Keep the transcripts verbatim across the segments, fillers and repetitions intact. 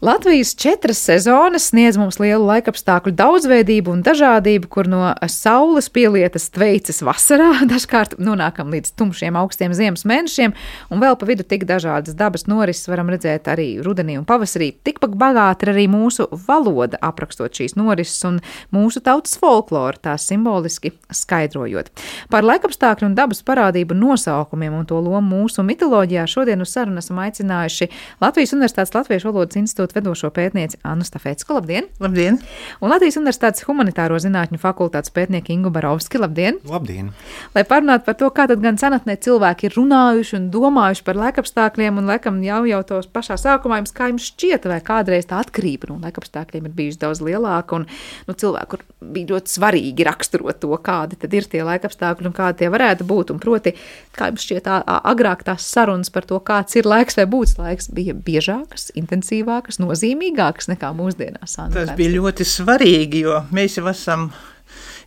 Latvijas četras sezonas sniedz mums lielu laikapstākļu daudzveidību un dažādību, kur no saules pielietas tveicas vasarā dažkārt nonākam līdz tumšiem augstiem ziemas mēnešiem, un vēl pa vidu tik dažādas dabas norises varam redzēt arī rudenī un pavasarī. Tikpat bagāta ir arī mūsu valoda, aprakstot šīs norises un mūsu tautas folkloru, tās simboliski skaidrojot. Par laikapstākļu un dabas parādību nosaukumiem un to lomu mūsu mitoloģijā šodien uz sarunu esam aicinājuši Latvijas Universitātes Latviešu valodas institūta vedošo pētnieci Annu Stafecku. Labdien! Labdien! Un Latvijas Universitātes humanitāro zinātņu fakultātes pētnieku Ingu Barovski. Labdien! Labdien! Lai parunātu par to, kā tad gan senatnē cilvēki ir runājuši un domājuši par laikapstākļiem, un laikam jau jau tos pašā sākumā jums kā jums šķiet, vai kādreiz tā atkarība no laikapstākļiem ir bijusi daudz lielāka, un nu, cilvēku bija ļoti svarīgi raksturot to, kādi tad ir tie laikapstākļi un kādi tie varētu būt, un proti, kā jums šķiet, agrāk tās sarunas par to, kāds ir laiks vai būs laiks, bija biežākas, intensīvākas, nozīmīgākas nekā mūsdienās. Tas bija ļoti svarīgi, jo mēs jau esam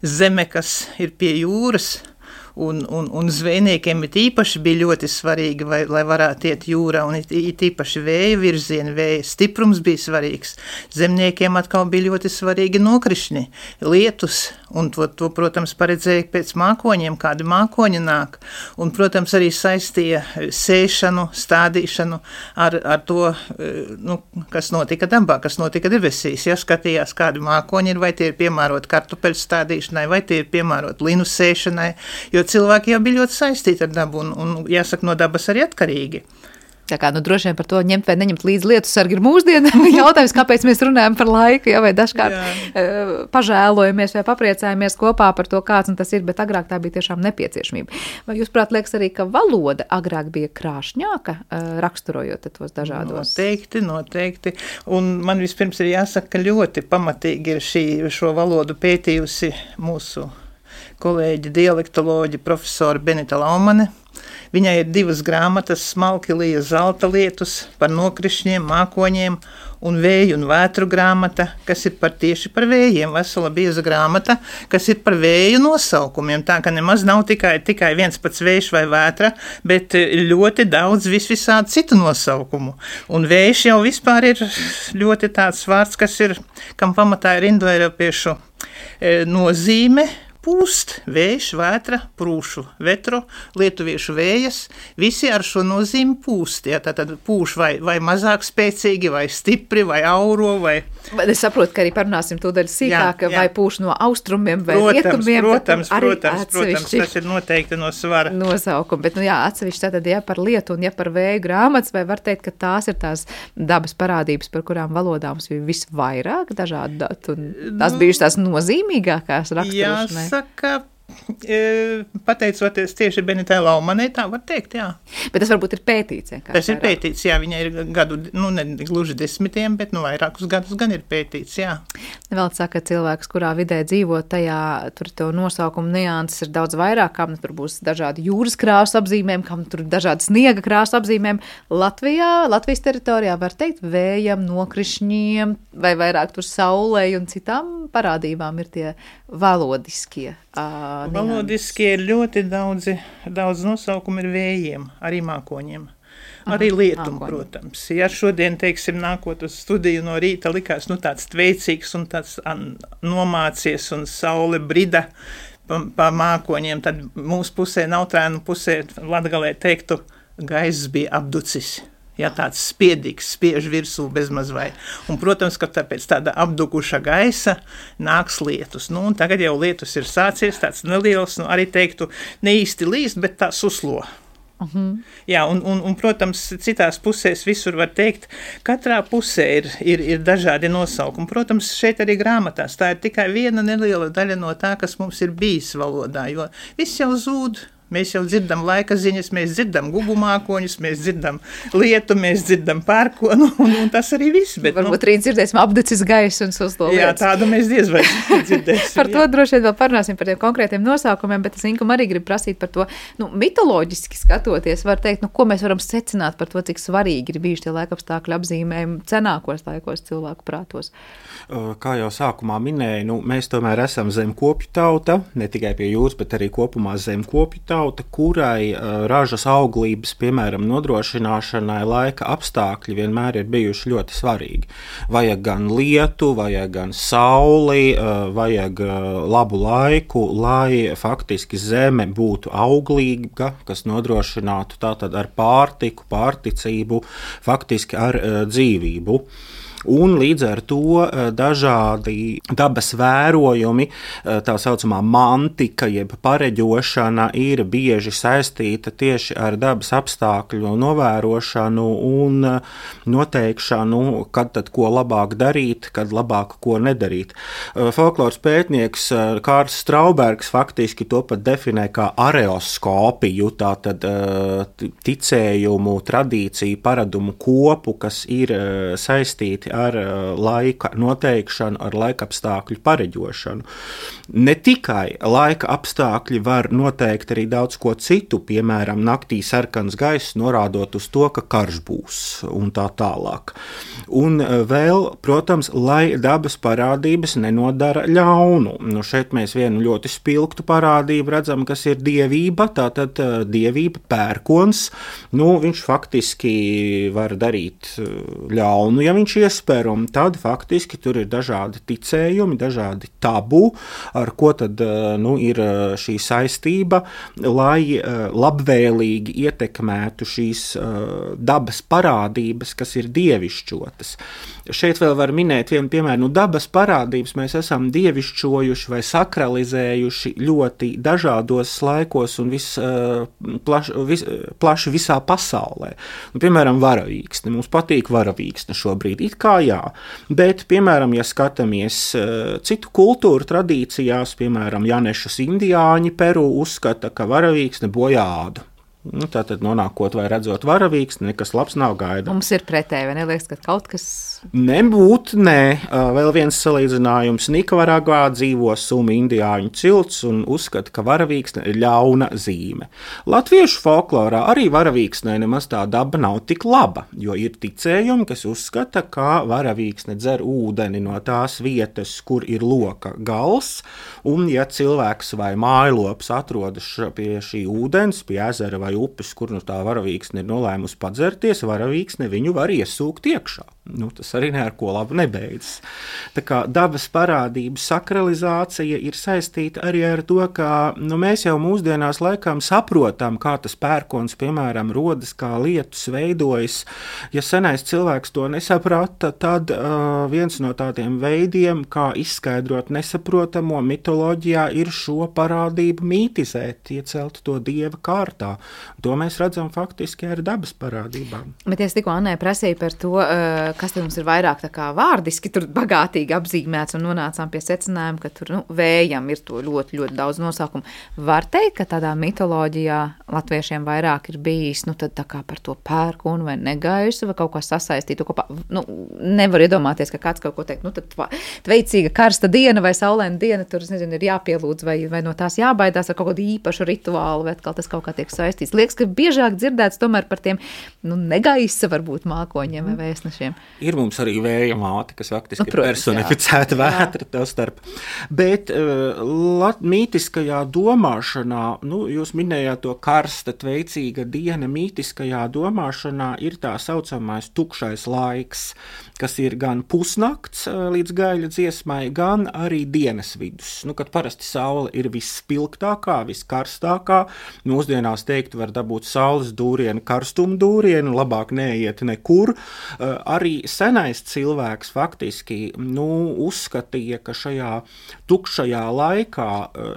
zeme, kas ir pie jūras, un, un, un zvejniekiem it īpaši bija ļoti svarīgi, vai, lai varētu iet jūrā, un it, it īpaši vēja virzieni, vēja stiprums bija svarīgs. Zemniekiem atkal bija ļoti svarīgi nokrišņi, lietus, un to, to, protams, paredzēja pēc mākoņiem, kādi mākoņi nāk, un, protams, arī saistīja sēšanu, stādīšanu ar, ar to, nu, kas notika dabā, kas notika debesīs, ja skatījās, kādi mākoņi ir, vai tie ir piemēroti kartupeļu stādīšanai, vai tie ir piemēroti linu sēšanai, jo cilvēki jau bija ļoti saistīti ar dabu un, un jāsaka, no dabas arī atkarīgi. Tā kā, nu, droši vien par to ņemt vai neņemt līdz lietu sargi ir mūsdiena jautājums, kāpēc mēs runājam par laiku, ja, vai dažkārt uh, pažēlojamies vai papriecājamies kopā par to, kāds un tas ir, bet agrāk tā bija tiešām nepieciešamība. Vai jūs, prāt, liekas arī, ka valoda agrāk bija krāšņāka, uh, raksturojot tos dažādos? Noteikti, noteikti. Un man vispirms ir jāsaka, ka ļoti pamatīgi ir šī, šo valodu pētījusi mūsu kolēģi dialektoloģi profesori Benita Laumane. Viņai ir divas grāmatas, Smalki lija zelta lietus, par nokrišņiem, mākoņiem, un vēju un vētru grāmata, kas ir par tieši par vējiem, vesela bieza grāmata, kas ir par vēju nosaukumiem, tā ka nemaz nav tikai, tikai viens pats vējš vai vētra, bet ļoti daudz visvisādi citu nosaukumu. Un vējš jau vispār ir ļoti tāds vārds, kas ir, kam pamatā ir indoeiropiešu e, nozīme, pūst, vējš, vētra, prūšu, vetro, lietuviešu vējas, visi ar šo nozīmi pūst, ja, tātad pūš vai, vai mazāk spēcīgi, vai stipri, vai auro, vai... Bet es saprotu, ka arī parunāsim tūdaļ sīkāk, jā, jā. Vai pūš no austrumiem vai protams, rietumiem. Protams, protams, protams, tas ir noteikti no svara. Nosaukumi, bet, nu jā, atsevišķi tātad, ja par lietu un ja par vēju grāmatas, vai var teikt, ka tās ir tās dabas parādības, par kurām valodā mums bija visvairāk dažādu datu, un tās nu, bijušas tās nozīmīgākās raksturošanai? Saka, pateicoties tieši Benitai Laumanei, tā var teikt, jā. Bet tas varbūt ir pētīts. Tas ir pētīts, jā, viņa ir gadu, nu ne gluži desmitiem, bet nu vairākus gadus gan ir pētīts, jā. Vēl saka, cilvēks, kurā vidē dzīvo, tajā tur to nosaukumu nianses ir daudz vairāk, kam tur būs dažādi jūras krāsu apzīmēm, kam tur dažādi sniega krāsu apzīmēm. Latvijā, Latvijas teritorijā var teikt vējam, nokrišņiem, vai vairāk tur saulei un citām parādībām ir tie valodiskie. Uh, Valodiskie ir ļoti daudzi, daudz nosaukumu ir vējiem, arī mākoņiem. Arī lietum, Aha, protams. Ja šodien, teiksim, nākot uz studiju no rīta likās, nu, tāds tveicīgs un tāds an, nomācies un saule brida pa, pa mākoņiem, tad mūsu pusē, Nautrēnu pusē, latgalē teiktu, gaiss bija apducis. Ja tāds spiedīgs, spiež virsū bezmaz vai. Un, protams, ka tāpēc tāda apdukuša gaisa nāks lietus. Nu, un tagad jau lietus ir sācies, tāds neliels, nu, arī teiktu, ne īsti līst, bet tā suslo. Uh-huh. Jā, un, un, un, protams, citās pusēs visur var teikt, katrā pusē ir, ir, ir dažādi nosaukumi. Protams, šeit arī grāmatās tā ir tikai viena neliela daļa no tā, kas mums ir bijis valodā, jo viss jau zūd. Mēs jau dzirdam laika ziņas, mēs dzirdam gubu mākoņus, mēs dzirdam lietu, mēs dzirdam pērkonu, un, un tas arī viss. Bet, varbūt nu, rīt dzirdēsim apdecis gaisu un suslo lietas. Jā, tādu mēs diez vai dzirdēsim. Par to jā. Droši vien vēl parunāsim par tiem konkrētiem nosaukumiem, bet es Inkum arī gribu prasīt par to, nu, mitoloģiski skatoties, var teikt, nu, ko mēs varam secināt par to, cik svarīgi ir bijuši tie laikapstākļu apzīmējumi cenākos laikos cilvēku prātos. Kā jau sākumā minēju, nu, mēs tomēr esam zemkopju tauta, ne tikai pie jūras, bet arī kopumā zemkopju tauta. pakļauta, kurai ražas auglības, piemēram, nodrošināšanai laika apstākļi vienmēr ir bijuši ļoti svarīgi. Vajag gan lietu, vajag gan sauli, vajag labu laiku, lai faktiski zeme būtu auglīga, kas nodrošinātu tātad ar pārtiku, pārticību, faktiski ar dzīvību. Un līdz ar to dažādi dabas vērojumi, tā saucamā mantika, jeb pareģošana, ir bieži saistīta tieši ar dabas apstākļu novērošanu un noteikšanu, kad tad ko labāk darīt, kad labāk ko nedarīt. Folkloras pētnieks Kārls Straubergs faktiski to pat definē kā areoskopiju, tātad ticējumu, tradīciju, paradumu kopu, kas ir saistīti ar laika noteikšanu, ar laika apstākļu pareģošanu. Ne tikai laika apstākļi var noteikt arī daudz ko citu, piemēram, naktī sarkans gaiss, norādot uz to, ka karš būs un tā tālāk. Un vēl, protams, lai dabas parādības nenodara ļaunu. Nu, šeit mēs vienu ļoti spilgtu parādību redzam, kas ir dievība, tātad dievība pērkons. Nu, viņš faktiski var darīt ļaunu, ja viņš ies un tad faktiski tur ir dažādi ticējumi, dažādi tabu, ar ko tad nu, ir šī saistība, lai labvēlīgi ietekmētu šīs dabas parādības, kas ir dievišķotas. Šeit vēl var minēt vienu piemēru, nu dabas parādības mēs esam dievišķojuši vai sakralizējuši ļoti dažādos laikos un vis, plaš, vis, plaši visā pasaulē. Nu, piemēram, varavīksne. Mums patīk varavīksne šobrīd, it kā jā, bet, piemēram, ja skatāmies citu kultūru tradīcijās, piemēram, janešus indiāņi Peru uzskata, ka varavīksne bojā ādu. Nu, tātad nonākot vai redzot varavīksni, nekas labs nav gaida. Mums ir pretēji, vai neliekas, ka kaut kas... Nebūt, nē. Vēl viens salīdzinājums. Nikavaragvā dzīvo sumi indiāņu cilts un uzskata, ka varavīksne ir ļauna zīme. Latviešu folklorā arī varavīksnē nemaz tā daba nav tik laba, jo ir ticējumi, kas uzskata, ka varavīksne dzer ūdeni no tās vietas, kur ir loka gals, un ja cilvēks vai mājlops atrodas pie šī ūdens, pie ezera vai upes, kur nu tā varavīksne ir nolēmusi padzerties, varavīksne viņu var iesūkt iekšā. Nu, tas arī ne ar ko labu nebeidzas. Tā kā dabas parādību sakralizācija ir saistīta arī ar to, ka nu, mēs jau mūsdienās laikam saprotam, kā tas pērkons, piemēram, rodas, kā lietus veidojas. Ja senais cilvēks to nesaprata, tad uh, viens no tādiem veidiem, kā izskaidrot nesaprotamo mitoloģijā, ir šo parādību mītizēt, iecelt to dieva kārtā. To mēs redzam faktiski ar dabas parādībām. Bet es tikko Annai prasīju par to, uh, kas tad mums ir vairāk tā kā vārdiski tur bagātīgi apzīmēts un nonācām pie secinājuma, ka tur nu, vējam ir to ļoti, ļoti daudz nosaukumu. Var teikt, ka tādā mitoloģijā latviešiem vairāk ir bijis, nu tad tā kā par to pērkonu vai negaisu vai kaut kā sasaistītu kopā. Nu, nevar iedomāties, ka kāds kaut ko teikt, nu tad tveicīga karsta diena vai saulaina diena, tur, es nezinu, ir jāpielūdz vai, vai no tās jābaidās ar kaut kādu īpašu rituālu, vai atkal tas kaut kā tiek saistīts. Liekas, ka biežāk dzirdēts tomēr par tiem, nu, negaisa varbūt mākoņiem vai vēstnešiem. Ir mums arī vēja māte, kas faktiski nu, protams, ir personificēta vētra tev starp. Bet uh, lat, mītiskajā domāšanā, nu, jūs minējāt to karsta, tveicīga diena, mītiskajā domāšanā ir tā saucamais tukšais laiks, kas ir gan pusnakts uh, līdz gaļa dziesmai, gan arī dienas vidus. Nu, kad parasti saule ir visspilgtākā, viskarstākā, mūsdienās teikt var dabūt saules dūrienu, karstumu dūrienu, labāk neiet nekur. Uh, arī senais cilvēks faktiski nu, uzskatīja, ka šajā tukšajā laikā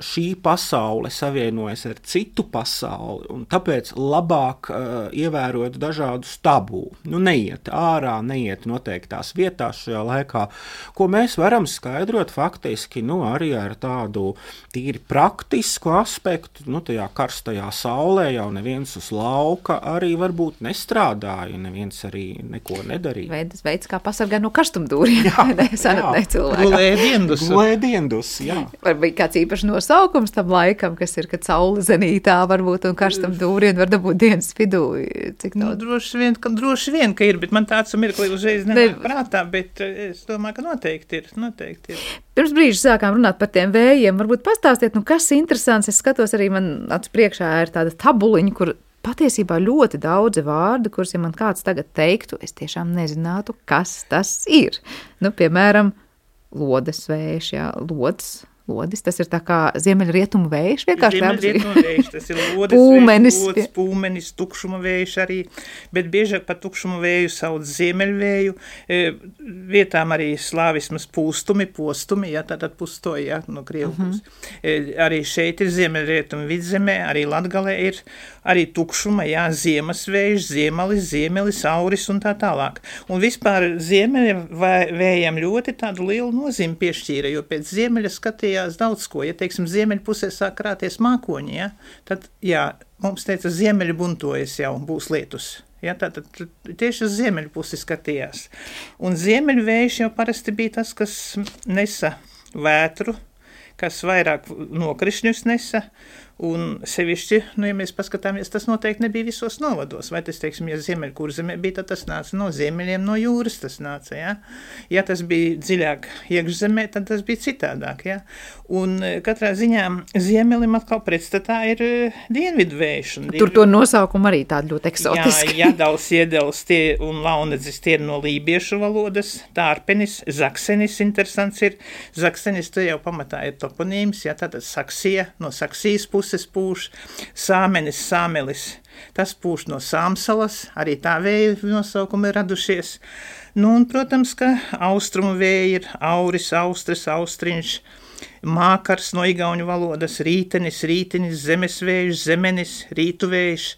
šī pasaule savienojas ar citu pasauli, un tāpēc labāk uh, ievērot dažādus tabū. Nu, neiet ārā, neiet noteiktās vietās šajā laikā, ko mēs varam skaidrot faktiski nu, arī ar tādu tīri praktisku aspektu. Nu, tajā karstajā saulē jau neviens uz lauka arī varbūt nestrādāja, neviens arī neko nedarīja. veids, veids kā pasargāt no karstumdūriem. Jā, senatnē cilvēkam. Gulēdiendus. Gulēdiendus, jā. Vai kāds īpašs nosaukums tam laikam, kas ir, kad saule zenītā varbūt un karstumdūri un var dabūt dienas vidū? Cik nu, droši vien, ka, droši vien, ka ir, bet man tāds mirkli uzreiz nenāk ne... prātā, bet es domāju, ka noteikti ir, noteikti ir. Pirms brīža sākām runāt par tiem vējiem. Varbūt pastāstiet, nu kas interesants, es skatos arī man acu priekšā ir tāda tabuliņa, kur patiesībā ļoti daudzi vārdi, kurus, ja man kāds tagad teiktu, es tiešām nezinātu, kas tas ir. Nu, piemēram, lodes vējš, jā, lodes. Lodis, tas ir tā kā ziemeļrietumu vējš, vienkārši ziemeļrietumu vējš, tas ir lodes pūmenis. Vējš, lodes, pūmenis, tukšuma vējš arī, bet biežāk par tukšumu vēju sauc ziemeļvēju, vietām arī slāvismas pūstumi, postumi, jā, tātad pustoji, jā, no Krievu puses. Uh-huh. Arī šeit ir ziemeļrietumu vidzemē, arī Latgalē ir arī tukšuma, jā, ziemas vējš, ziemelis, ziemelis, auris un tā tālāk. Un vispār ziemeļa vējam ļoti tādu lielu nozīmi piešķīra, jo pēc ziemeļa skatījās daudz ko. Ja, teiksim, ziemeļu pusē sāk krāties mākoņi, ja, tad, jā, mums teica, ziemeļi buntojas jau, būs lietus. Ja, tātad tieši uz ziemeļu pusi skatījās. Un ziemeļu vējš jau parasti bija tas, kas nesa vētru, kas vairāk nokrišņus nesa, un sevišķi, nu, ja mēs paskatāmies, tas noteikti nebija visos novados, vai tas, teiksim, ja Ziemeļkurzemē bija, tad tas nāca no ziemeļiem, no jūras tas nāca, ja? Ja tas bija dziļāk iekšzemē, tad tas bija citādāk, ja? Un katrā ziņā ziemelim atkal pretstatā ir dienvidu vējš. Tur to nosaukumu arī tādu ļoti eksotiski. Jā, Jadals, Iedels tie un Launedzis tie ir no lībiešu valodas, Tārpenis, Zaksenis interesants ir, Zaksenis te jau pamatā ir toponīms, ja, tātad Saksija, no Saksijas puses pūš, Sāmenis, Sāmelis, tas pūš no Sāmsalas, arī tā vēja nosaukumi ir radušies. Nu, un, protams, ka austrumu vēja ir Auris, Austris, Austriņš, Mākars no igauņu valodas, Rītenis, Rītinis, Zemesvējš, Zemenis, Rītuvējš,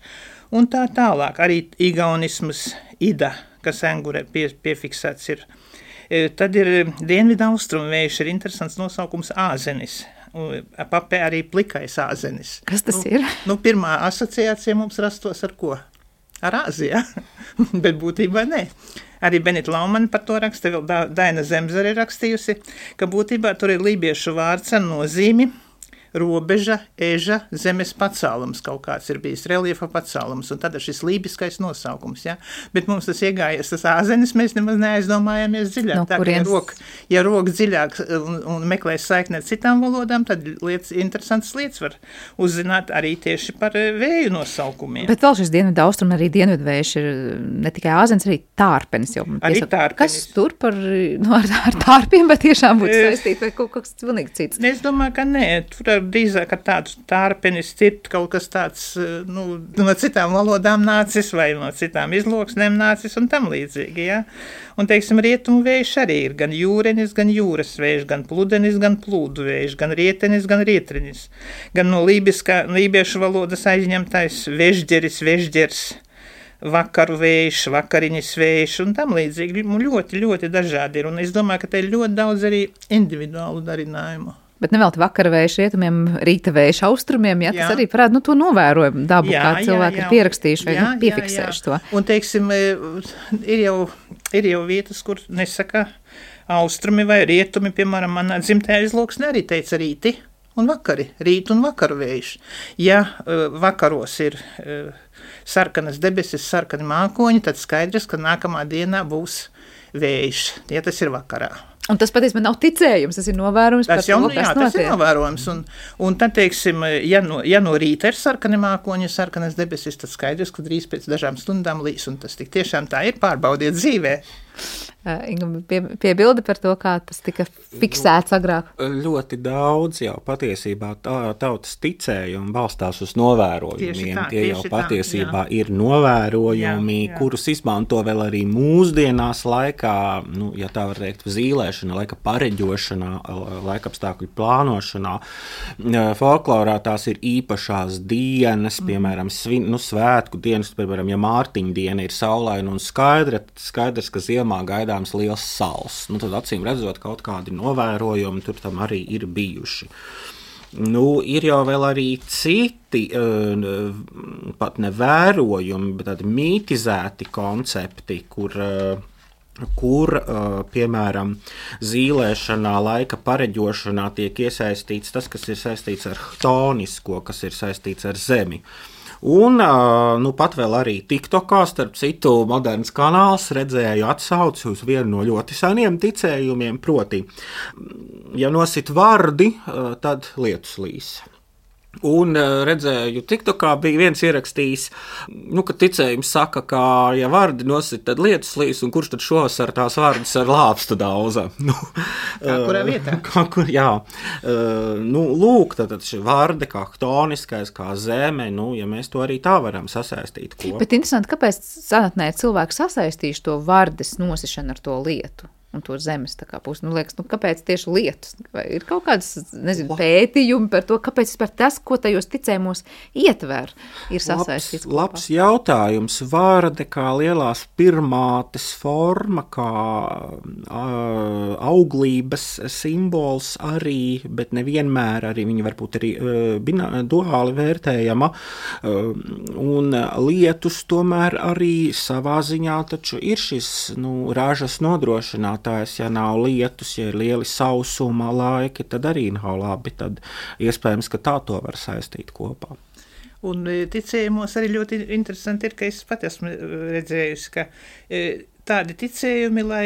un tā tālāk. Arī igaunismas Ida, kas engurē pie, piefiksēts ir. Tad ir dienvidu austrumu vējš, ir interesants nosaukums Āzenis. Papē arī plikais āzenis. Kas tas nu, ir? Nu, pirmā asociācija mums rastos ar ko? Ar Āziju, bet būtībā ne. Arī Benita Laumani par to raksta, vēl Daina Zemzare rakstījusi, ka būtībā tur ir lībiešu vārds ar nozīmi, robeža, eža, zemes pacēlums kaut kāds ir bijis, reliefa pacēlums, un tad ir šis lībiskais nosaukums, ja? Bet mums tas iegājies, tas āzenis, mēs nemaz neaizdomājāmies dziļāk. No tā, ka, ja rok, ja rok dziļāk un, un meklēs saikni ar citām valodām, tad lietas, interesants lietas var uzzināt arī tieši par vēju nosaukumiem. Bet vēl šis dienvidu austrumu, arī dienvidu vējš ir ne tikai āzenis, arī tārpenis. Jau, arī tārpenis. Kas tur par, nu, ar, ar tārpiem, bet tiešām būtu saistīt vai kaut kas pilnīgi cits? Es domāju, ka nē, tur ar drīzāk ar tādu tārpenis cirt kaut kas tāds, nu, no citām valodām nācis vai no citām izloksnēm nācis un tam līdzīgi, ja. Un, teiksim, rietumu vējš arī ir gan jūrenis, gan jūras vējš, gan pludenis, gan plūdu vējš, gan rietenis, gan rietrinis, gan no lībiskā, lībiešu valodas aizņemtais vežģeris, vežģers, vakaru vējš, vakariņas vējš un tam līdzīgi. Ļoti, ļoti dažādi ir. Un es domāju, ka te ir ļoti daudz arī individuālu darinājumu. Bet nevēlti vakara vējš rietumiem, rīta vējš austrumiem, ja, tas jā. Arī parāda, nu, to novērojumu dabu, jā, kā cilvēki jā, jā. Ir pierakstījuši vai jā, nu, piefiksējuši jā, jā. To. Un, teiksim, ir jau, ir jau vietas, kur nesaka austrumi vai rietumi, piemēram, manā dzimtajā izloksnē arī teica rīti un vakari, rīt un vakaru vējš. Ja vakaros ir sarkanas debesis, sarkani mākoņi, tad skaidrs, ka nākamā dienā būs vējš, ja tas ir vakarā. Un tas patiesībā nav ticējums, tas ir novērojums tas par jau, to, kas jā, notiek. Tas ir novērojums. Un, un tad, teiksim, ja no, ja no rīta ir sarkani mākoņi, sarkanas debesis, tad skaidrs, ka drīz pēc dažām stundām līs. Un tas tik tiešām tā ir, pārbaudiet dzīvē. Inga, pie, piebildi par to, kā tas tika fiksēts agrāk. Ļoti daudz jau patiesībā tā, tautas ticējumi balstās uz novērojumiem. Tā, Tie jau patiesībā tā, ir novērojumi, jā, jā. Kurus izmanto vēl arī mūsdienās laikā, nu, ja tā var teikt, zīlēšanā, laika pareģošanā, laikapstākļu plānošanā. Folklorā tās ir īpašās dienas, piemēram, svin, nu, svētku dienas, piemēram, ja Mārtiņa diena ir saulaina un skaidra, skaidrs, ka ziemā gaidāms liels sals. Nu, tad acīm redzot, kaut kādi novērojumi tur tam arī ir bijuši. Nu, ir jau vēl arī citi, pat ne vērojumi, bet tādi mītizēti koncepti, kur kur, piemēram, zīlēšanā, laika pareģošanā tiek iesaistīts tas, kas ir saistīts ar chtonisko, kas ir saistīts ar zemi. Un nu, pat vēl arī TikTokā, starp citu, moderns kanāls redzēju atsauci uz vienu no ļoti seniem ticējumiem, proti, ja nosit vardi, tad lietus līs. Un redzēju, TikTokā bija viens ierakstījis, nu, ka ticējums saka, ka, ja vardi nosit, tad lietus līs, un kurš tad šovasar tās vardus ar lāpstu daudza? Nu, kā kurā vietā? Kā kur, jā. Nu, lūk, tad šī varde kā chtoniskais, kā zeme, nu, ja mēs to arī tā varam sasaistīt kopā. Bet interesanti, kāpēc senatnē cilvēki sasaistīšu to vardes nosišanu ar to lietu? Un to zemes tā kā pusi. Nu, liekas, nu, kāpēc tieši lietus? Vai ir kaut kādas, nezinu, pētījumi par to, kāpēc vispār tas, ko tajos ticējumos ietver, ir sasaistīts kopā? Labs jautājums. Vārde kā lielās pirmātes forma, kā uh, auglības simbols arī, bet nevienmēr arī viņa varbūt arī uh, duāli vērtējama. Uh, un lietus tomēr arī savā ziņā taču ir šis, nu, ražas nodrošināt. Ja nav lietus, ja ir lieli sausuma laiki, tad arī nav labi. Tad iespējams, ka tā to var saistīt kopā. Un ticējumos arī ļoti interesanti ir, ka es pat esmu redzējusi, ka tādi ticējumi, lai,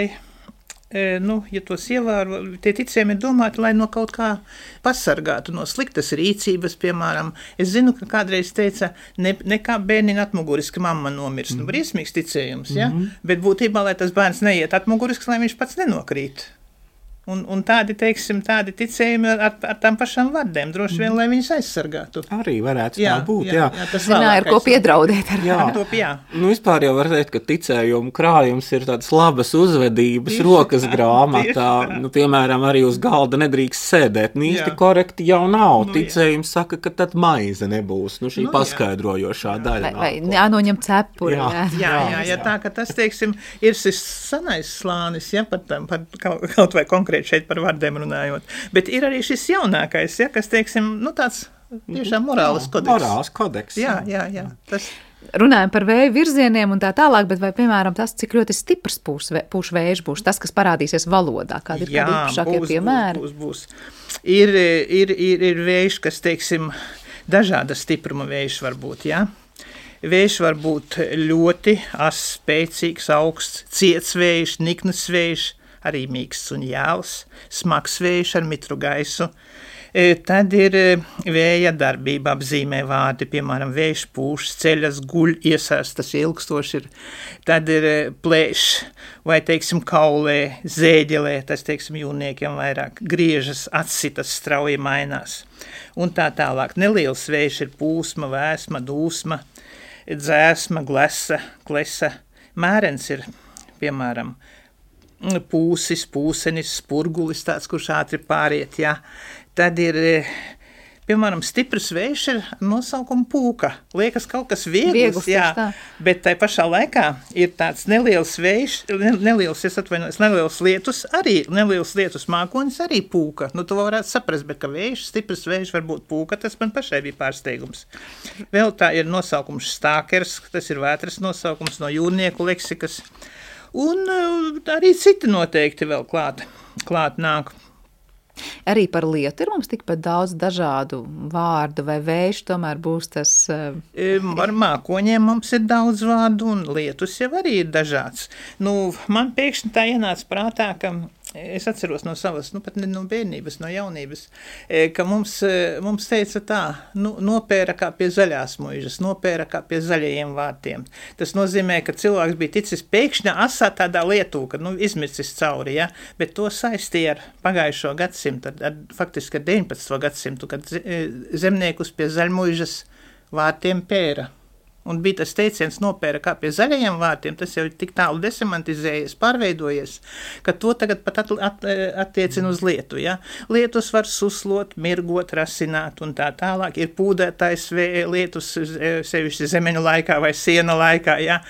nu, ja tos ievēro, tie ticējumi ir domāti, lai no kaut kā pasargātu, no sliktas rīcības, piemēram. Es zinu, ka kādreiz teica, ne, nekā bērniņa atmuguris, ka mamma nomirst. Mm-hmm. Nu, briesmīgs ticējums, ja? Mm-hmm. Bet būtībā, lai tas bērns neiet atmuguris, lai viņš pats nenokrīt. Un, un tādi, teiksim, tādi ticējumi ar, ar tām pašām vardēm, droši vien, lai viņus aizsargātu. Arī varētu jā, tā būt, jā. jā. jā tas zināja, ar ko piedraudēt. Ar jā. Top, jā. Nu, vispār jau var teikt, ka ticējumu krājums ir tādas labas uzvedības, tieši rokas tā, grāmatā. Nu, piemēram, arī uz galda nedrīkst sēdēt. Nu, īsti korekti jau nav. Nu, Ticējums jā. Saka, ka tad maize nebūs. Nu, šī nu, paskaidrojošā jā. Daļa. Vai, vai jānoņem cepuri. Jā, jā, jā, jā, jā tā, ka tas, teiksim, ir šis sanais slānis, ja, par, tam, par kaut vai konkrēti šeit par vardēm runājot. Bet ir arī šis jaunākais, ja, kas, teiksim, nu tāds tiešām morāls kodeks. Morāls kodeks. Jā, jā, jā. Tas... Runājam par vēju virzieniem un tā tālāk, bet vai, piemēram, tas, cik ļoti stiprs pūš, pūš vējš būs, tas, kas parādīsies valodā, kādi ir jā, kādi īpašākie būs, piemēri? Būs, būs, būs. Ir, ir, ir, ir vējš, kas, teiksim, dažāda stipruma vējš var būt, jā. Vējš var būt ļoti as, spēcīgs, augsts, ciets vējš, niknas vējš, arī mīksts un jāls, smags vējš ar mitru gaisu. E, tad ir vēja darbība apzīmē vārdi, piemēram, vējš pūš, ceļas, guļ, iesārs, tas ilgstoši ir. Tad ir plēš vai, teiksim, kaulē, zēģelē, tas, teiksim, jūrniekiem vairāk, griežas, atsitas, strauji mainās. Un tā tālāk. Neliels vējš ir pūsma, vēsma, dūsma, dzēsma, glesa, klesa. Mērens ir, piemēram, pūsis, pūsenis, spurgulis, tāds, kurš ātri pāriet, jā. Tad ir, piemēram, stiprs vējš ir nosaukuma pūka. Liekas kaut kas viegls, viegls jā, bet tai pašā laikā ir tāds neliels vējš, neliels, es atvainojos, neliels lietus, arī neliels lietus mākonis, arī pūka. Nu, tu varētu saprast, bet ka vējš, stiprs vējš var būt pūka, tas man pašai bija pārsteigums. Vēl tā ir nosaukums stākers, tas ir vētras nosaukums no jūrnieku leksikas. Un arī citi noteikti vēl klāt, klāt nāk. Arī par lietu ir mums tikpat daudz dažādu vārdu, vai vējš tomēr būs tas... Uh... Ar mākoņiem mums ir daudz vārdu, un lietus jau arī ir dažāds. Nu, man pēkšņi tā ienāca prātā, ka es atceros no savas, nu pat ne no bērnības, no jaunības, ka mums, mums teica tā, nu, nopēra kā pie zaļās muižas, nopēra kā pie zaļajiem vārtiem. Tas nozīmē, ka cilvēks bija ticis pēkšņi asā tādā lietū, ka, nu, izmircis cauri, ja, bet to saistīja ar pagājušo gadsimtu, ar, ar, faktiski ar deviņpadsmito gadsimtu, kad zemniekus pie zaļmuižas vārtiem pēra. Un bija tas teiciens nopēra kā pie zaļajiem vārtiem, tas jau tik tālu desemantizējies, pārveidojies, ka to tagad pat at, at, attiecina uz lietu, ja. Lietus var suslot, mirgot, rasināt un tā tālāk. Ir pūdētājs lietus sevišķi zemeņu laikā vai siena laikā, ja.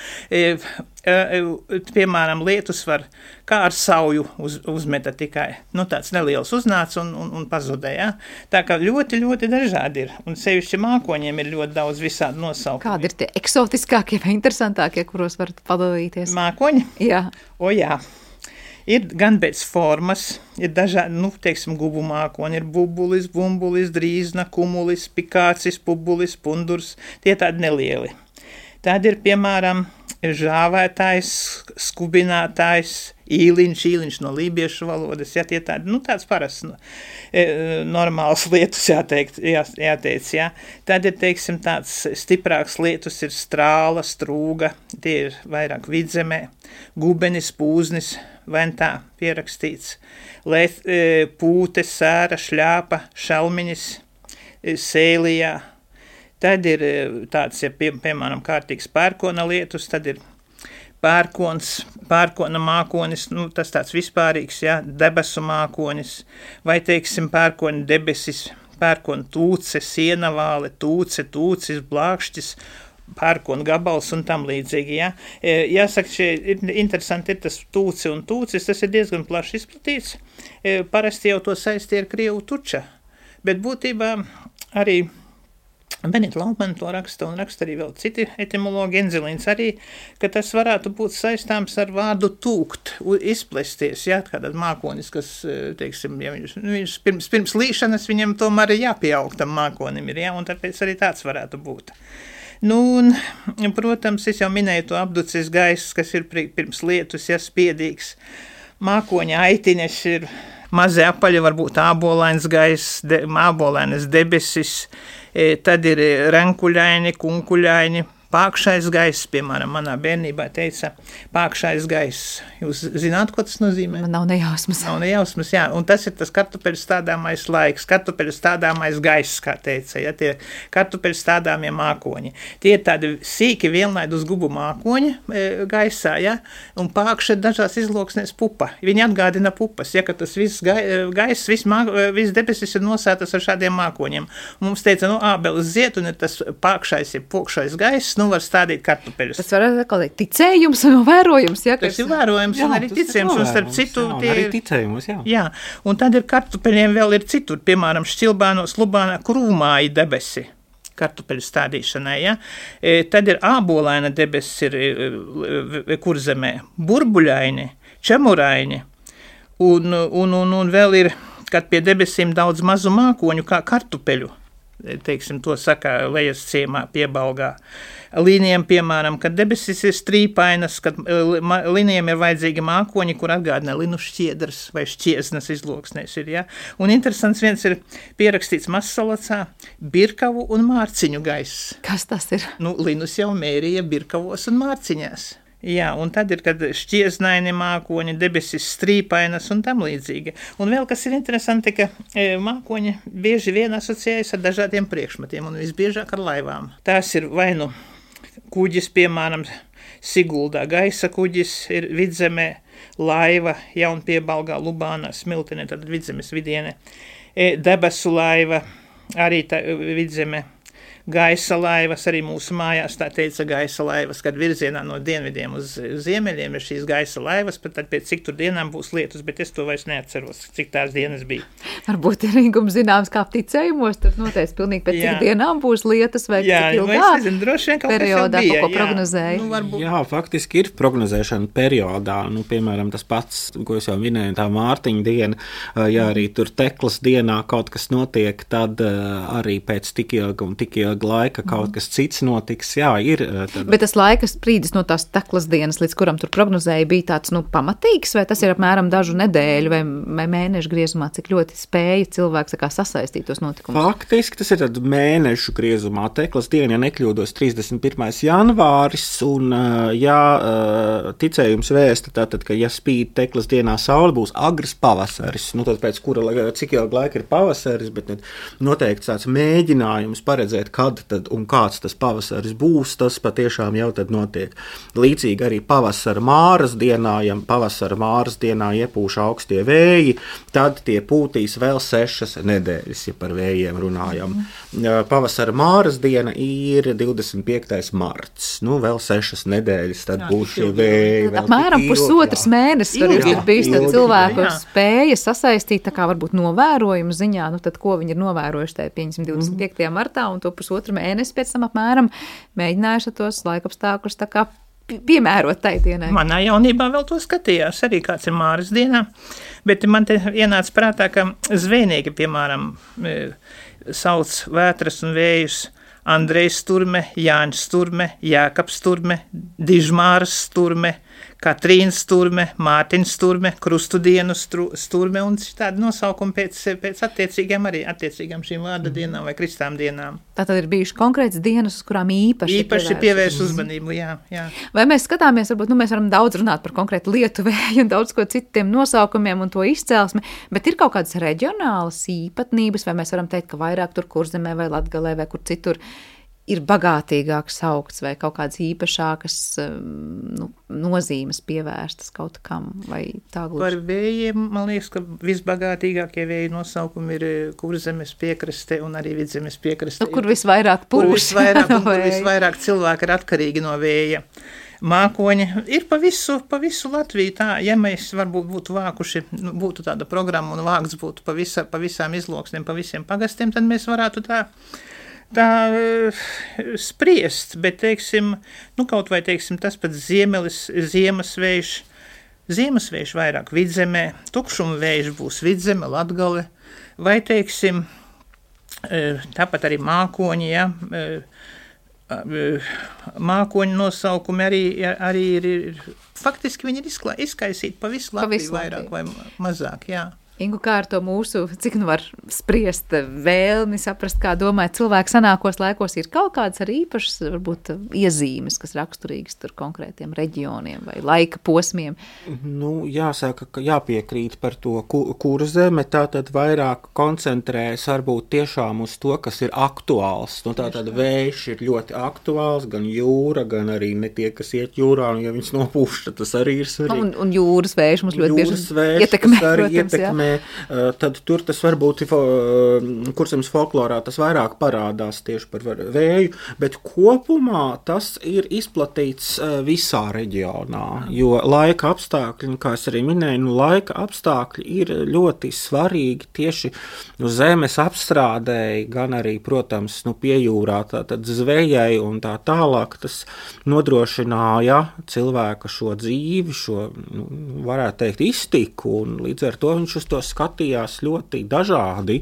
piemēram, lietus var kā ar sauju uz, uzmeta tikai, nu tāds neliels uznāca un, un, un pazudēja. Tā kā ļoti, ļoti dažādi ir, un sevišķi mākoņiem ir ļoti daudz visādi nosaukumi. Kādi ir tie eksotiskākie vai interesantākie, kuros varat padalīties? Mākoņi? Jā. O jā. Ir gan pēc formas, ir dažādi, nu, teiksim, gubu mākoņi, ir bubulis, bumbulis, drīzna, kumulis, pikācis, pubulis, pundurs, tie tādi nelieli. Tad ir, piemēram, žāvētājs, skubinātājs, īliņš, īliņš no lībiešu valodas, ja tie tādi, nu, tāds parasts, nu, normāls lietus, jāteikt, jā, jāteic, jā. Tad ir, teiksim, tāds stiprāks lietus ir strāla, strūga, tie ir vairāk vidzemē, gubenis, pūznis, vai tā pierakstīts, Lēt, pūte, sēra, šļāpa, šalmiņas, sēlijā. Tad ir tāds, ja pie, piemēram, kārtīgs pērkona lietus, tad ir pērkons, pērkona mākonis, nu, tas tāds vispārīgs, jā, debesu mākonis, vai, teiksim, pērkona debesis, pērkona tūce, sienavāle, tūce, tūcis, blākšķis, pērkona gabals un tam līdzīgi, jā. Jāsaka, šie ir interesanti ir tas tūce un tūcis, tas ir diezgan plaši izplatīts, parasti jau to saistīja ar krievu tuča, bet būtībā arī Benita Laupmana to raksta un raksta arī vēl citi etimologi, Enzelīns arī, ka tas varētu būt saistāms ar vārdu tūkt, izplesties, jā, kādā mākonis, kas, teiksim, ja viņš, viņš pirms, pirms līšanas viņam tomēr ir jāpieaug tam mākonim ir, jā, un tāpēc arī tāds varētu būt. Nu, un, protams, es jau minēju to apducis gaiss, kas ir pirms lietus, ja spiedīgs. Mākoņa aitiņas ir mazi apaļi, varbūt ābolains gaiss, de, ābolainas debesis, tad ir renkuļaini, kunkuļaini, pākšais gaiss, piemēram, manā bērnībā teica pākšais gaiss. Jūs zināt, ko tas nozīmē? Man nav nejausmas. Nav nejausmas, jā, un tas ir tas kartupeļu stādāmais laiks, kartupeļu stādāmais gaiss, kā teica, ja, tie kartupeļu stādāmie mākoņi. Tie ir tādi sīki vienlaid uz gubu mākoņi e, gaisā, ja, un pākša dažās izloksnēs pupa. Viņi atgādina pupas, ja, ka tas viss gaiss, viss, mā, viss debesis ir nosētas ar šādiem mākoņiem. Un mums teica, nu, ābeles ziet, un ir tas pākšais, ir pokšais gaiss, nu var stādīt kartupeļus. Tas var būt ticējums un vērojums, ja? Tas ir vērojums, jā, un arī ticējums, un starp citu jā, tie arī ticējums, jā. Jā, un tad ir kartupeļiem vēl ir citur, piemēram, Šķilbānos, Lubānā krūmāji debesi kartupeļu stādīšanai, ja? E, tad ir ābolaina debesis ir e, Kurzemē, burbuļaini, čemuraini, un, un, un, un vēl ir, kad pie debesīm daudz mazu mākoņu kā kartupeļu, teiksim, to saka lejas ciemā piebalgā. Līnijam, piemēram, kad debesis ir strīpainas, kad līnijam ir vajadzīgi mākoņi, kur atgādina linu šķiedras vai šķiesnas izloksnēs ir, ja? Un interesants viens ir pierakstīts Mazsalacā, birkavu un mārciņu gaiss. Kas tas ir? Nu, linus jau mērīja birkavos un mārciņās. Jā, un tad ir, kad šķieznaini mākoņi, debesis strīpainas un tam līdzīgi. Un vēl, kas ir interesanti, ka e, mākoņi bieži vien asociējas ar dažādiem priekšmetiem un visbiežāk ar laivām. Tās ir vai nu kuģis, piemēram, Siguldā gaisa kuģis ir Vidzemē, laiva Jaunpiebalgā, Lubānā, Smiltenē, tad Vidzemes vidiene, e, debesu laiva, arī tā Vidzemē. Gaisa laivas, arī mūsu mājās tā teica gaisa laivas, kad virzienā no dienvidiem uz ziemeļiem ir šīs gaisa laivas, bet tad pēc cik tur dienām būs lietus, bet es to vairs neatceros, cik tās dienas bija. Varbūt ir Ingums zināms, kā ticējumos, tad noteikti pilnīgi pēc jā. Cik dienām būs lietus vai jā, cik ilgā nezinu, droši vien kaut periodā, bija, ko prognozēja. Nu, varbūt... Jā, faktiski ir prognozēšana periodā, nu, piemēram, tas pats, ko es jau minēju, tā Mārtiņa diena, ja arī tur Teklas dienā kaut kas notiek, tad arī pēc tik ilga un tik ilga laika kaut kas cits notiks, jā, ir. Tad... Bet tas laika sprīdis no tās Teklas dienas, līdz kuram tur prognozēja, bija tāds, nu, pamatīgs, vai tas ir apmēram dažu nedēļu vai, vai mēnešu griezumā, cik ļoti spēja cilvēks kā sasaistīt tos notikumus? Faktiski tas ir tad mēnešu griezumā. Teklas diena, ja nekļūdos, trīsdesmit pirmais janvāris, un, ja ticējums vēsta, tātad, ka ja spīd Teklas dienā saule, būs agrs pavasaris, nu, tad pēc kura, cik ilga laika ir pavasaris, bet noteikti tāds mēģinājums paredzēt, kā kad tad un kāds tas pavasaris būs, tas patiešām jau tad notiek. Līdzīgi arī pavasara māras dienā, ja pavasara māras dienā iepūš augstie vēji, tad tie pūtīs vēl sešas nedēļas, ja par vējiem runājam. Pavasara māras diena ir divdesmit piektais marts, nu vēl sešas nedēļas, tad jā, būs šie vēji. Apmēram pusotras mēnesis tur ir bijis cilvēku spēja sasaistīt, tā kā varbūt novērojumu ziņā, nu tad ko viņi ir novērojuši tajā pieņemsim divdesmit piektajā martā un to pusotru mēnesi pēc tam apmēram mēģinājuši tos laikapstākļus tā kā piemērot tai dienai. Manā jaunībā vēl to skatījās, arī kāds ir māras dienā, bet man te ienāca prātā, ka zvejnieki, piemēram, sauc vētras un vējus Andrejs Sturme, Jāņš Sturme, Jākaps Sturme, Dižmāras Sturme, Katrīnas Sturme, Mārtiņas Sturme, Krustudienu Sturme un tādi nosaukumi pēc, pēc attiecīgām arī attiecīgām šīm vārda dienām vai kristām dienām. Tātad ir bijuši konkrētas dienas, uz kurām īpaši īpaši pievērš uzmanību, jā, jā. Vai mēs skatāmies, varbūt, nu mēs varam daudz runāt par konkrētu Lietuvēju un daudz ko citiem nosaukumiem un to izcelsmi, bet ir kaut kādas reģionālas īpatnības, vai mēs varam teikt, ka vairāk tur Kurzemē vai Latgalē vai kur citur ir bagātīgāks saukts vai kaut kādas īpašākas nu, nozīmes pievērstas kaut kam vai tā gluži? Par vējiem, man liekas, ka visbagātīgākie vēju nosaukumi ir Kurzemes piekraste un arī Vidzemes piekraste. Nu, kur visvairāk pūš. Kur visvairāk, un kur visvairāk cilvēki ir atkarīgi no vēja. Mākoņi ir pa visu, pa visu Latviju tā, ja mēs varbūt būtu vākuši, būtu tāda programma un vākts būtu pa, visa, pa visām izloksnēm, pa visiem pagastiem, tad mēs varētu tā tā spriest, bet, teiksim, nu kaut vai, teiksim, tas pats ziemelis, ziemasvējš, ziemasvējš vairāk Vidzemē, tukšuma vējš būs Vidzeme, Latgale, vai, teiksim, tāpat arī mākoņi, ja, mākoņu nosaukumi arī, arī ir, faktiski viņi ir izklā, izkaisīti pa visu Latviju vairāk vai mazāk, jā. Ingu, kā ar to mūsu, cik nu var spriest vēlmi, saprast, kā domāja cilvēki senākos laikos, ir kaut kādas arī īpašas, varbūt, iezīmes, kas raksturīgas tur konkrētiem reģioniem vai laika posmiem? Nu, jāsaka, ka jāpiekrīt par to Kurzeme, tā tad vairāk koncentrējas varbūt tiešām uz to, kas ir aktuāls. Nu, tā tad vējš ir ļoti aktuāls, gan jūra, gan arī ne tie, kas iet jūrā, un ja viņas nopūš, tas arī ir svarīgi. Un, un jūras vējš mums ļoti bieži ietekmē, protams, ietekmē, jā. Tad tur tas varbūt Kurzemes folklorā tas vairāk parādās tieši par vēju, bet kopumā tas ir izplatīts visā reģionā, jo laika apstākļi, kā es arī minēju, nu, laika apstākļi ir ļoti svarīgi tieši nu, zemes apstrādēji, gan arī, protams, nu, piejūrā tātad zvejai un tā tālāk, tas nodrošināja cilvēka šo dzīvi, šo, nu, varētu teikt, iztiku, un līdz ar to viņš uz to skatījās ļoti dažādi.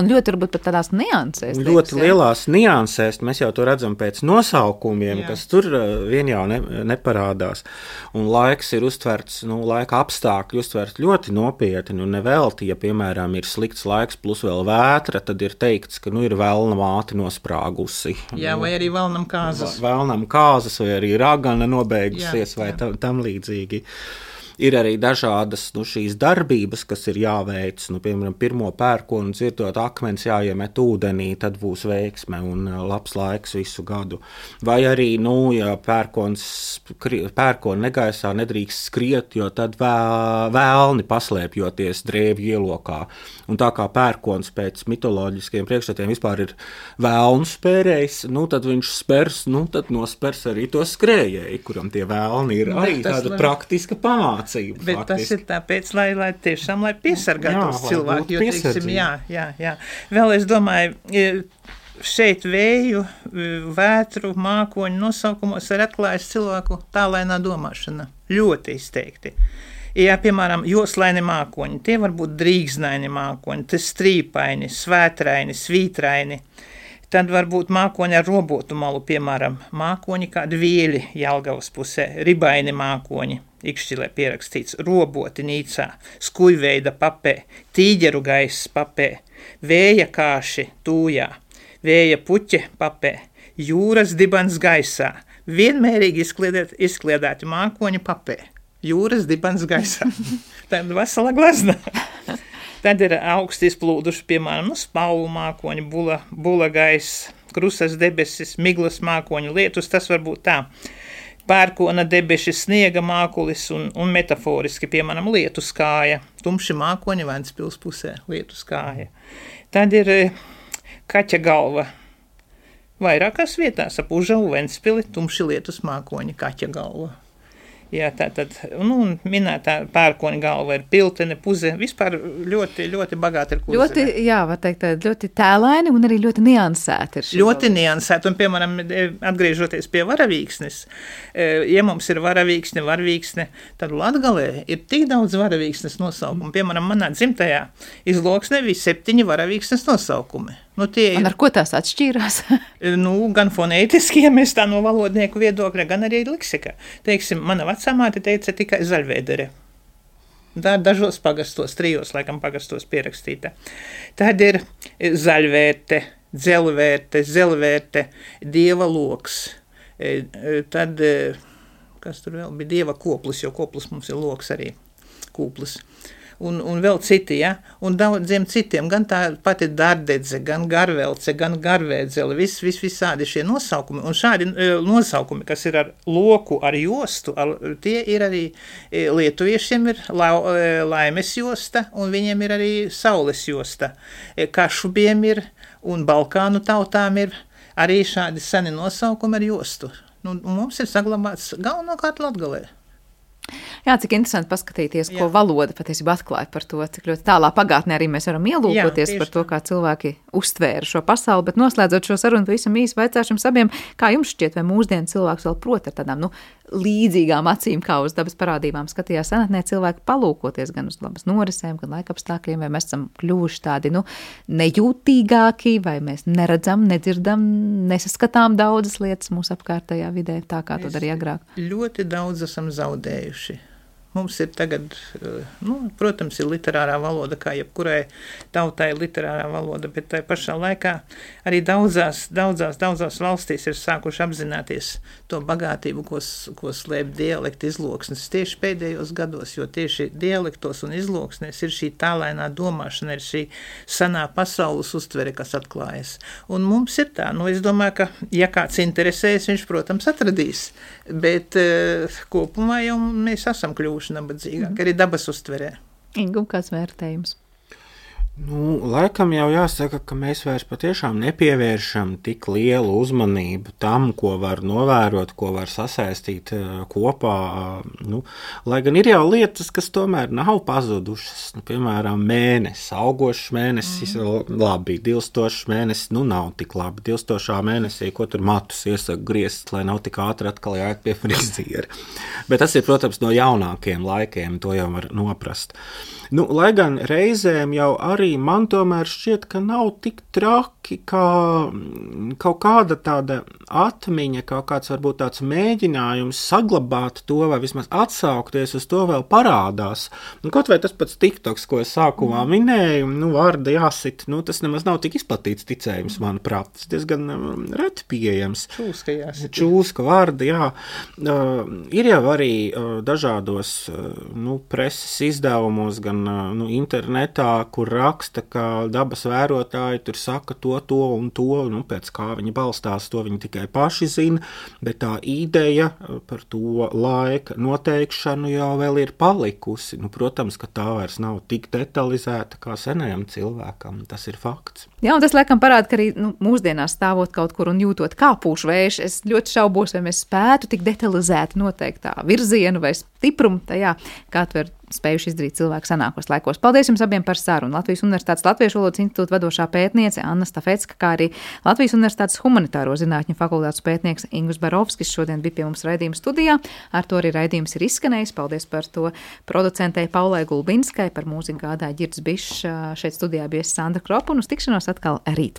Un ļoti varbūt pat tādās niansēs. Ļoti liekas, lielās niansēs, mēs jau to redzam pēc nosaukumiem, jā. Kas tur vien jau ne, neparādās. Un laiks ir uztverts, nu, laika apstākļi uztverts ļoti nopietni, un nevelti, ja, piemēram, ir slikts laiks plus vēl vētra, tad ir teikts, ka, nu, ir velna māte nosprāgusi. Jā, vai arī velnam kāzas. Velnam kāzas, vai arī ragana nobeigusies, jā, vai jā. Tam, tam līdzīgi. Ir arī dažādas nu, šīs darbības, kas ir jāveic. Nu, piemēram, pirmo pērkonu dzirdot akmens jāiemet ūdenī, tad būs veiksme un labs laiks visu gadu. Vai arī, nu, ja pērkons, pērkonu negaisā nedrīkst skriet, jo tad vēlni paslēpjoties drēbju ielokā. Un tā kā pērkons pēc mitoloģiskiem priekšstatiem vispār ir vēlnu spērējs, nu, tad viņš spers, nu, tad nospers arī to skrējēju, kuram tie vēlni ir arī tāda lai... praktiska pamāca. Bet faktiski. Tas ir tāpēc, lai, lai tiešām lai piesargātos cilvēki, jo, teiksim, jā, jā, jā. Vēl es domāju, šeit vēju, vētru, mākoņu nosaukumos ir atklājas cilvēku tālainā domāšana. Ļoti izteikti. Ja, piemēram, joslaini mākoņi, tie var būt drīgznaini mākoņi, tas strīpaini, svētraini, svītraini. Tad varbūt mākoņi ar robotu malu, piemēram, mākoņi kādi vieļi Jelgavas pusē, ribaini mākoņi, Ikšķilē pierakstīts, roboti Nīcā, skujveida papē, tīģeru gaiss papē, vēja kāši Tūjā, vēja puķe papē, jūras dibans gaisā, vienmērīgi izkliedēt, izkliedēti mākoņi papē, jūras dibans gaisā. Tad vesela glazna. Tad ir augsti izplūduši, piemēram, nu, spalvu mākoņi, bula, bula gaiss, krusas debesis, miglas mākoņu lietus, tas var būt tā. Pērkona debeši, sniega mākulis un, un metaforiski, piemēram, lietus kāja. Tumši mākoņi Ventspils pusē, lietus kāja. Tad ir kaķa galva. Vairākās vietās ap Užavu, Ventspili, tumši lietus mākoņi, kaķa galva. Jā, tā tad, nu, minētā pērkoņa galva ir piltene, puze, vispār ļoti, ļoti bagāti ir kurzeme. Ļoti, jā, var teikt, ļoti tēlaini un arī ļoti niansēti ir šī. Ļoti niansēti, un, piemēram, atgriežoties pie varavīksnes, ja mums ir varavīksne, varvīksne, tad Latgalē ir tik daudz varavīksnes nosaukumu. Piemēram, manā dzimtajā Izloksnē bija septiņi varavīksnes nosaukumi. Nu, tie ir, un ar ko tās atšķīrās? nu, gan fonētiski, ja mēs tā no valodnieku viedokļa, gan arī leksikā. Teiksim, mana vecāmāte teica tikai zaļvēdere. Tā dažos pagastos, trijos, laikam, pagastos pierakstīta. Tad ir zaļvērte, dzelvērte, zelvērte, dieva loks. Tad, kas tur vēl bija, dieva koplis, jo koplis mums ir loks arī, kūplis. Un, un vēl citi, ja, un daudziem citiem, gan tā pati dardedze, gan garvelce, gan garvēdzele, vis, vis, visādi šie nosaukumi, un šādi nosaukumi, kas ir ar loku, ar jostu, ar, tie ir arī lietuviešiem ir la, laimes josta, un viņiem ir arī saules josta. Kašubiem ir, un Balkānu tautām ir arī šādi seni nosaukumi ar jostu. Nu, mums ir saglabāts galvenokārt Latgalē. Jā, cik interesanti paskatīties, ko Jā. valoda patiesībā atklāja par to, cik ļoti tālā pagātnē arī mēs varam ielūkoties Jā, par to, kā cilvēki uztvēra šo pasauli, bet noslēdzot šo sarunu pavisam īsi vaicāšu jums abiem, kā jums šķiet, vai mūsdienu cilvēks vēl prot ar tādām, nu, līdzīgām acīm, kā uz dabas parādībām skatījās senatnē cilvēki palūkoties gan uz dabas norisēm, gan laikapstākļiem, vai mēs esam kļuvuši tādi, nu, nejūtīgāki, vai mēs neredzam, nedzirdam, nesaskatām daudzas lietas mūsu apkārtējā vidē, tā kā to darīja agrāk. Ļoti daudz esam zaudējuši. Mums ir tagad, nu, protams, ir literārā valoda, kā jebkurai tautai ir literārā valoda, bet tai pašā laikā arī daudzās, daudzās, daudzās valstīs ir sākuši apzināties to bagātību, ko, ko slēp dialekti izloksnes tieši pēdējos gados, jo tieši dialektos un izloksnēs ir šī tālainā domāšana, ir šī sanā pasaules uztvere, kas atklājas. Un mums ir tā, nu, es domāju, ka, ja kāds interesējas, viņš, protams, atradīs, bet uh, kopumā jau mēs esam kļuvuši nabadzīgāk, arī dabas uztverē. Ingu, kāds vērtējums? Nu, laikam jau jāsaka, ka mēs vairs patiešām nepievēršam tik lielu uzmanību tam, ko var novērot, ko var sasaistīt kopā. Nu, lai gan ir jau lietas, kas tomēr nav pazudušas, nu, piemēram, mēnesis, augošs mēnesis, mm. labi, dilstošs mēnesis, nu nav tik labi. Dilstošā mēnesī, ko tur matus iesaka griezt, lai nav tik ātri atkal jāiet pie friziera. Bet tas ir, protams, no jaunākiem laikiem, to jau var noprast. Nu, lai gan reizēm jau arī man tomēr šķiet, ka nav tik traki, kā kaut kāda tāda atmiņa, kaut kāds varbūt tāds mēģinājums saglabāt to vai vismaz atsaukties uz to vēl parādās. Un kaut vai tas pats TikToks, ko es sākumā mm. minēju, nu, vārda jāsit, nu, tas nemaz nav tik izplatīts ticējums, manuprāt. Tas diezgan reti pieejams. Čūska jāsit. Čūska vārda, jā. Uh, ir jau arī uh, dažādos uh, nu, preses izdevumos, gan nu, internetā, kur raksta, ka dabas vērotāji tur saka to, to un to, nu, pēc kā viņi balstās, to viņi tikai paši zina, bet tā ideja par to laika noteikšanu jau vēl ir palikusi. Nu, protams, ka tā vairs nav tik detalizēta kā senajam cilvēkam, tas ir fakts. Jā, un tas laikam parāda, ka arī nu, mūsdienās stāvot kaut kur un jūtot kā pūš vējš, es ļoti šaubos, vai mēs spētu tik detalizēti noteikt tā virzienu vai stiprumu tajā, kā to ir spējuši izdarīt cilvēku senākos laikos. Paldies jums abiem par sarunu. Latvijas Universitātes Latviešu valodas institūta vadošā pētniece Anna Stafecka, kā arī Latvijas Universitātes humanitāro zinātņu fakultātes pētnieks Ingvs Barovskis šodien bija pie mums raidījuma studijā. Ar to arī raidījums ir izskanējis. Paldies par to producentei Paulai Gulbinskai, par mūziku gādāja Ģirds Bišs. Šeit studijā bija Sandra Kropa un uz tikšanos atkal rīt.